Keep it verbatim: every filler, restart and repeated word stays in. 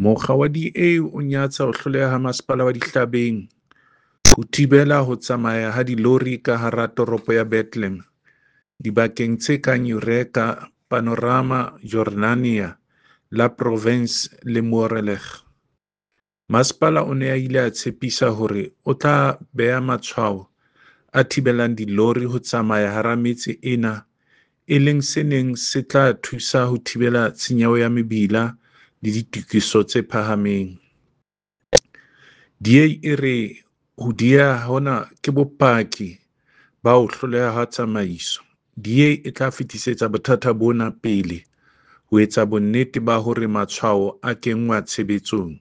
Mokga wa D A o nyatsa ho hloleha ha Masepala wa Dihlabeng ho thibela ho tsamaya ha dilori ka hara toropo ya Bethlehem dibakeng tse kang Eureka, Panorama, Jordania, La Provence le Moreleng. Masepala o ne a ile a tshepisa hore o tla beha matshwao a thibelang dilori ho tsamaya hara metse ena e leng se neng se tla thusa ho thibela tshenyo ya mebila le ditokiso tse phahameng. D A e re ho dieha hona ke bopaki ba ho hloleha ha tsamaiso. D A e tla fetisetsa bothata bona pele ho etsa bonnete ba hore matshwao a kenngwa tshebetsong.